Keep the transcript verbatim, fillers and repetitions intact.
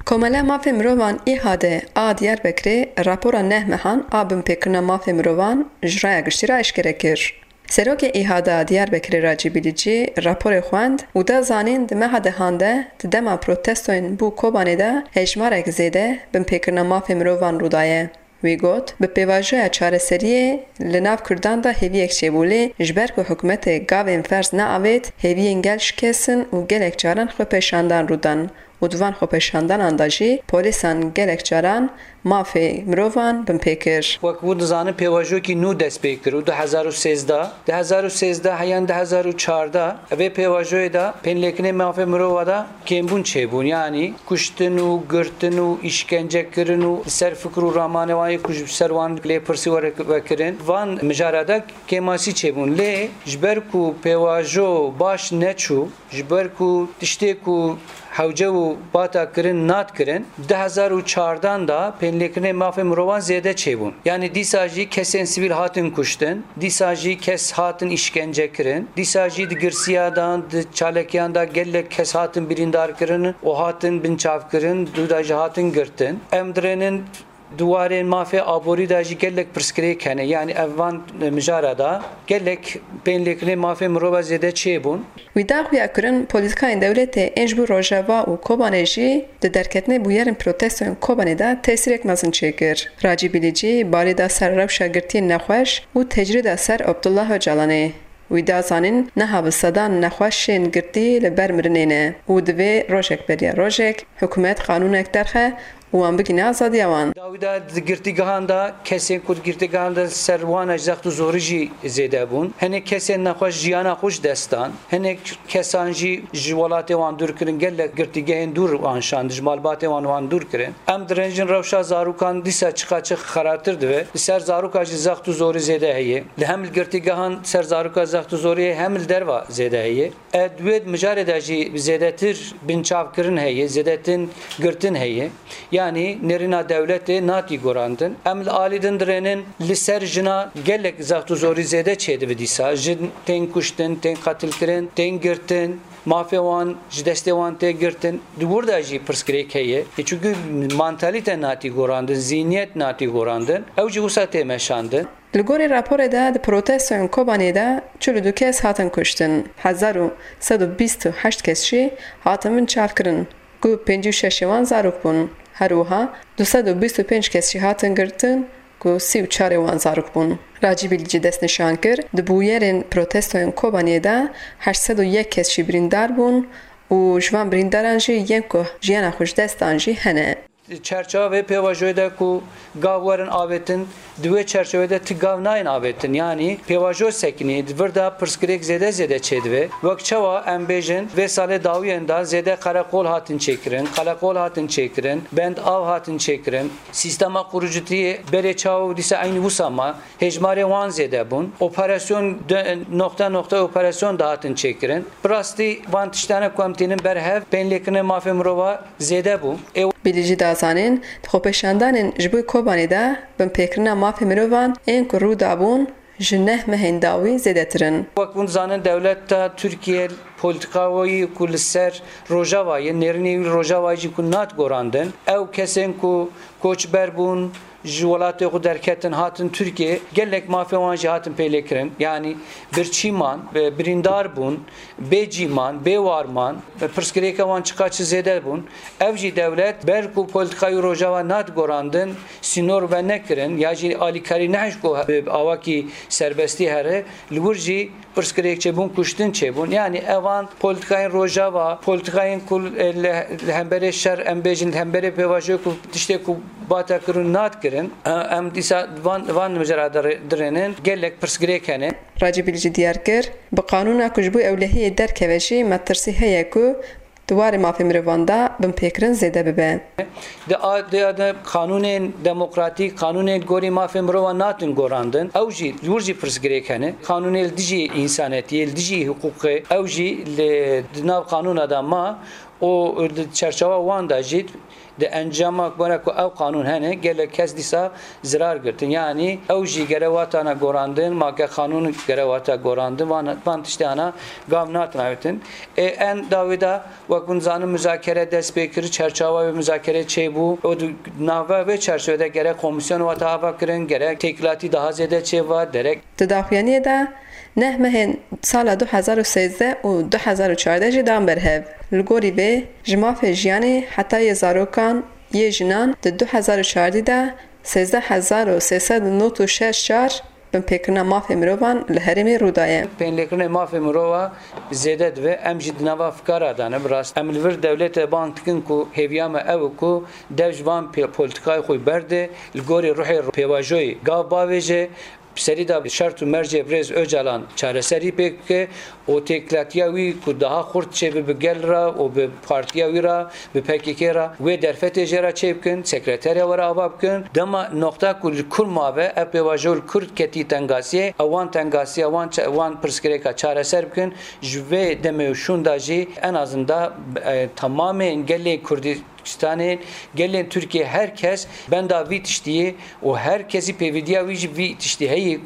Komela Mafê Mirovan, İHAD, a Diyarbekirê rapora neh mehan a binpêkirina mafê mirovan ji raya giştî re eşkere kir. Serokê İHAD a Diyarbekirê Racî Bilîcî raporê xwend û da zanîn, di meha dehan de di dema protestoyên bû Kobanê de hejmarek zêde binpêkirina mafê mirovan rû daye. Wî got, bi pêvajoya çareseriyê li nav Kurdan de hêviyek çêbû, lê ji ber ku hikûmetê gavên ferz neavêt, hêviyên gel şikesin û gelek caran xwepêşandan rû dan û di van xwepêşandanan de jî polîsan gelek caran mafê mirovan binpê kir. Wek hûn dizanin, pêvajokî nû dest pê kir û du hezar û sêzdeh, du hezar û sêzdeh heyan du hezar û çardeh, vê pêvajoyê de pênlêkirinê mafê mirova de kêmbûn çêbûn, yanî kuştin û girtin û îşkencekirin û li ser fikir û ramanê wan yê ku ji ser wan lêpirsî were vekirin, van mijara de kêmasî çêbûn. Lê ji ber ku pêvajo baş neçû, ji ber ku tiştê ku hewce û bata kirin nat kirin, du hezar û çardan de pênlêkirinê mafê mirovan zêde çêbûn. Yanî dîsa jî kesên sivîl hatin kuştin, dîsa jî kes hatin îşkence kirin, dîsa jî di girsiya de, di çalekiyan de gelek kes hatin birîndar kirin û hatin binçav kirin, dû de jî hatin girtin. Em dirênin di warên mafê aborî de jî gelek pirsgirêk hene. Yanî ev van mijara de gelek pênlêkirinê mafê mirova zêde çêbûn. Wî da xuya kirin, polîtîkayên dewletê ên ji bo Rojava û Kobanê jî di derketinê bûyerên protestoyên Kobanê de tesîrek mezin çêkir. Racî Bilîcî balê da ser rewşa girtiyên nexweş û tecrîda ser Abdullah Ocalanê. Wî da zanîn, niha bi sedan nexweşên girtî li ber mirinê ne û divê rojek beriya rojek hikûmet qanûnek derxe û wan bigihîne azadiya wan. Dawî de di girtîgehan de kesên ku di girtîgehan de ser wan e zext û zorî jî zêde bûn. Hinek kesên nexweş jiyana xwe ji dest dan. Hinek kesan jî ji welatê wan dûr kirin, gelek girtîgehên dûr wan şand, ji malbatê wan wan dûr kirin. Em direnjin rewşa zarokan dîsa çiqaçix xerabtir dibe. Li ser zaroka jî zext û zorî zêde heye. Li hem li girtîgehan ser zaroka zext û zorî heye, hem li derva zêde heye. E, di wê mijarê de jî zêdetir binçavkirin heye, zêdetin girtin heye. Yanî nêrîna dewletê natî gorandin. Em li alî din dirênin li ser jina gelek zext û zorî zêde çêdibe dîsa. Jin tên kuştin, tên qetilkirin, tên girtin, mafê wan ji destê wan tê girtin. Di wir de jî pirsgirêk heye. E, çunku mantalîte natî gorandin, zîniyet natî gorandin. Ew jî wisa tê meşandin. Li gorî raporê de di protestoyên Kobanê de çil û du kes hatin kuştin, hezar û sed û bîst û heşt kes jî hatin binçavkirin, ku pêncî û şeş ê wan zarok bûn. Her wiha du sed û bîst û pênc kes jî hatin girtin, ku sî û çar ê wan zarok bûn. Racî Bilîcî destnîşan kir, di bûyerên protestoyên Kobanê de heşt sed û yek kes jî birîndar bûn û ji van birîndaran jî yên ku jiyana xwe ji dest dan jî hene. Çerçewa vê pêvajoyê de ku gav werin avêtin, di wê çerçevê de ti gav nayên avêtin. Yanî pêvajo sekinî, di vir de pirsgirêk zêde zêde çêdibe. Wek çawa em bêjin, vê salê dawiyên de zêde qereqol hatin çêkirin, qeleqol hatin çêkirin, bend av hatin çêkirin. Sîstema qurucitiyê berê çawa û dîsa eynî wisa ma. Hêjmarê wan zêde bûn. Operasyon de, noxte noxte operasyon dihatin çêkirin. Bi rastî van tiştane ku em tînin ber hev, pênlêkirinê mafê mirova zêde bû. Ê Bilîcî da zanîn, di xwepêşandanên ji bo Kobanê de binpêkirina mafê mirovan ên ku rû dabûn, ji neh mehên dawî zêdetir in. Wek hûn dizanin, dewleta Tirkiye polîtîkayê ku li ser Rojava ye, nêrînê wî Rojava jî ku nat gorandin, ew kesên ku koçber bûn, ji welatê xwe derketin, hatin Tirkiye, gelek mafê wan jî hatin pêlêkirin. Yanî birçî man, bi-, birîndar bûn, bê cî man, bê war man, pirsgirêka wan çiqaçi zêde bûn. Ev jî dewlet, ber ku polîtîkayê Rojava nat gorandin, sînor venekirin, ya jî alîkarî nehişt ku bi awakî serbestî here, li wir jî pirsgirêk çêbûn, kuştin çêbûn. Yanî evan polîtîkayên Rojava, polîtîkayên ku, e, li, li hemberê şer, em bêjin, li hemberê pêvajoyê ku tiştê ku bata kirin nat kirin, e, em dîsa van, van mijara dirê-, dirênin, gelek pirsgirêk hene. Racî Bilîcî diyar kir, bi qanûna ku ji bo ewlehiyê derkeve jî metirsî heye ku di warê mafê mirovan de binpêkirin zêde bibe. Di a-, di a-, de qanûnên demokratîk, qanûnên gorî mafê mirovan natin gorandin. Ew jî, li wir jî pirsgirêk hene. Qanûnê li dijî însanetiyê, li dijî hiqûqê, ew jî li, di nav qanûna de ma û di çerçewa wan de jî di encama were ku ew qanûn hene, gelek kes dîsa zirar girtin. Yanî ew jî gere watana gorandin, ma ke qanûn gere wata gorandin, van, van tiştê ana gav natin avêtin. Ê en dawî de, wek hûn zanin, muzakere dest pê kir, çerçewa wê muzakere çêbû û di nava vê çerçevede gerek komîsyon wata ava kirin, gerek têkilatî daha zêde çêva, derek. Di daxuyaniyê de neh mehên sala du hezar û sêzdeh û du hezar û çardeh jî dan ber hev. Li gorî vê, ji mafê jiyanê heta yê zarokan, yê jinan di du hezar û çardeh de sêzdeh hezar û sê sed û nod û şeş car binpêkirina mafê mirovan li herêmê rû daye. Pênlêkirinê mafê mirova zêde dibe, em jî di nava fikara de ne, bi rast. Em li vir dewletê bang dikin ku hêviya me ew e ku dev ji van pê-, polîtikayê xwe berde, li gorî ruhê pêvajoyê gav bavêje, bi serî de şert û mercê birêz Ocalan çareserî pêk bike û têkilatiya wî ku daha xurt çêbe bi gel re û bi partiya wî re, bi P K K re, wê derfetê jê re çêbikin, sekreteriya were ava bikin. Dema noqta ku li Kurd mabe, ev pêvajo li Kurd ketî tengasiyê, ew wan tengasiya, wan ça-, wan pirsgirêka çareser bikin. Ji vê demê û şûnda jî en azında, e, temamên gelê Kurdî Kurdistanê, gelên Tirkiyê, her kes benda vî tiştî ye û her kesî pêvîdiya wî ji vî tiştî heye ku